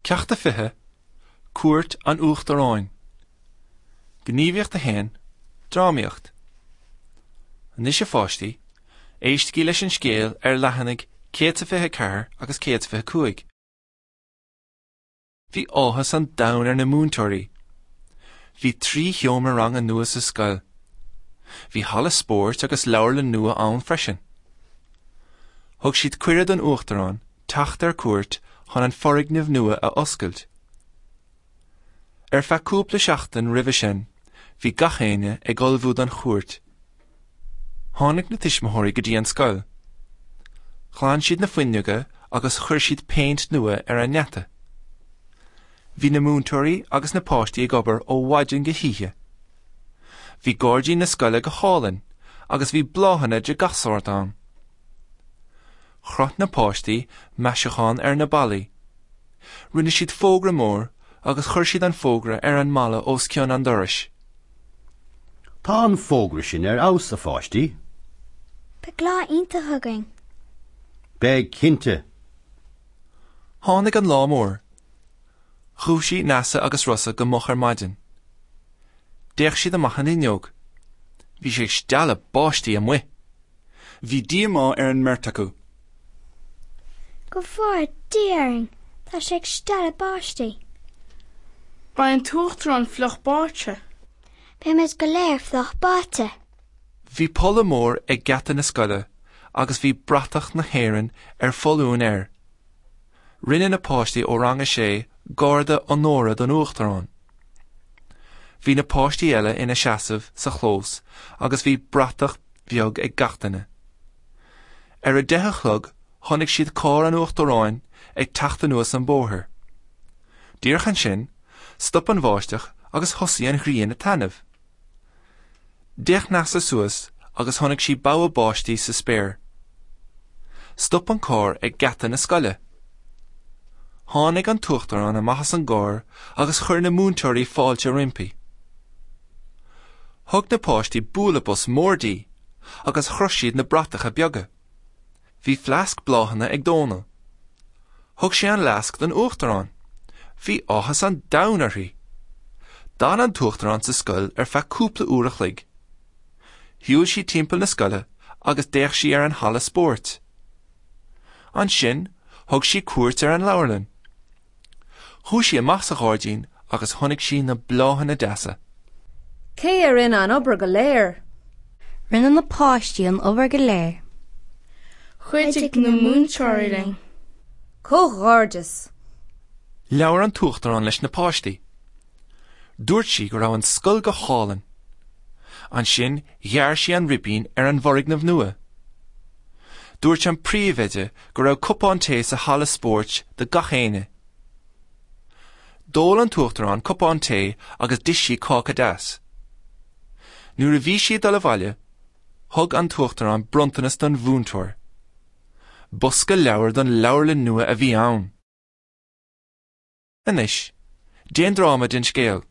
Ceacht 20, Cuairt an Uachtaráin. Gníomhaíocht 1, Drámaíocht. Anois a pháistí, éistigí leis an scéal ar leathanaigh 124 agus 125. Bhí áthas an domhain ar na múinteoirí. Bhí 3 sheomra ranga nua sa scoil. Bhí halla spóirt agus leabharlann nua ann freisin. Thug siad cuireadh don Uachtarán teacht ar cuairt chun an foirgneamh nua a oscailt. Ar feadh cúpla seachtain roimhe sin, bhí gach éinne ag ullmhú don chuairt. Tháinig na tuismitheoirí go dtí an scoil. Ghlan siad na fuinneoga agus chuir siad péint nua ar an ngeata. Bhí na múinteoirí agus na páistí ag obair ó mhaidin go hoíche. Bhí gairdín na scoile go hálainn agus bhí bláthanna de gach sórt ann. Chroch na páistí maisiúchán ar na ballaí. Rinne siad fógra mór agus chuir siad an fógra ar an mballa os cionn an dorais. Tá an fógra sin ar fheabhas, a pháistí. Beidh lá iontach againn. Beidh, cinnte. Tháinig an lá mór. Dhúisigh Neasa agus Rossa go moch ar maidin. D'fhéach siad amach an fhuinneog. Bhí sé ag stealladh báistí amuigh. Bhí díomá ar an mbeirt acu. Go bhfóire Dia orainn, tá sé ag stealladh báistí. Beidh an tUachtarán fliuch báite. Beimid go léir fliuch báite. Bhí polla mór ag geata na scoile agus bhí bratach na hÉireann ar foluain air. Rinne na páistí ó rang a sé garda onóra don Uachtarán. Bhí na páistí eile ina seasamh sa chlós agus bhí bratach bheag ag gach duine. Ar a deich a chlog chonaic siad carr an Uachtaráin ag teacht anuas an bóthar. Díreach ansin, stop an bháisteach agus thosaigh an ghrian ag taitneamh. D'fhéach Neasa suas agus chonaic sí bogha báistí sa spéir. Stop an carr ag geata na scoile. Tháinig an tUachtarán amach as an gcarr agus chuir na múinteoirí fáilte roimpi. Thug na páistí bualadh bos mór di agus chroch siad na bratacha beaga. Bhí fleasc bláthanna ag Dónal. Thug sé an fhleasc don Uachtarán. Bhí áthas an domhain uirthi. D'fhan an tUachtarán sa scoil ar feadh cúpla uair a chloig. Shiúil sí timpeall na scoile agus d'fhéach sí ar an halla spóirt. Ansin thug sí cuairt ar an leabharlann. Chuaigh sí amach sa ghairdín agus chonaic sí na bláthanna deasa. Cé a rinne an obair go léir? Rinne na páistí an obair go léir. Chuidigh na múinteoirí linn. Comhghairdeas! Labhair an tUachtarán leis na páistí. Dúirt sí go raibh an scoil go hálainn. Ansin ghearr sí an ribín ar an bhfoirgneamh nua. Dúirt an príomhoide go raibh cupán tae sa halla spóirt do gach éinne. D'ól an tUachtarán cupán tae agus d'ith sí cáca deas. Nuair a bhí sí ag dul abhaile, thug an tUachtarán bronntanas don mhúinteoir. Bosca leabhar don leabharlann nua a bhí ann. Anois, déan dráma den scéal.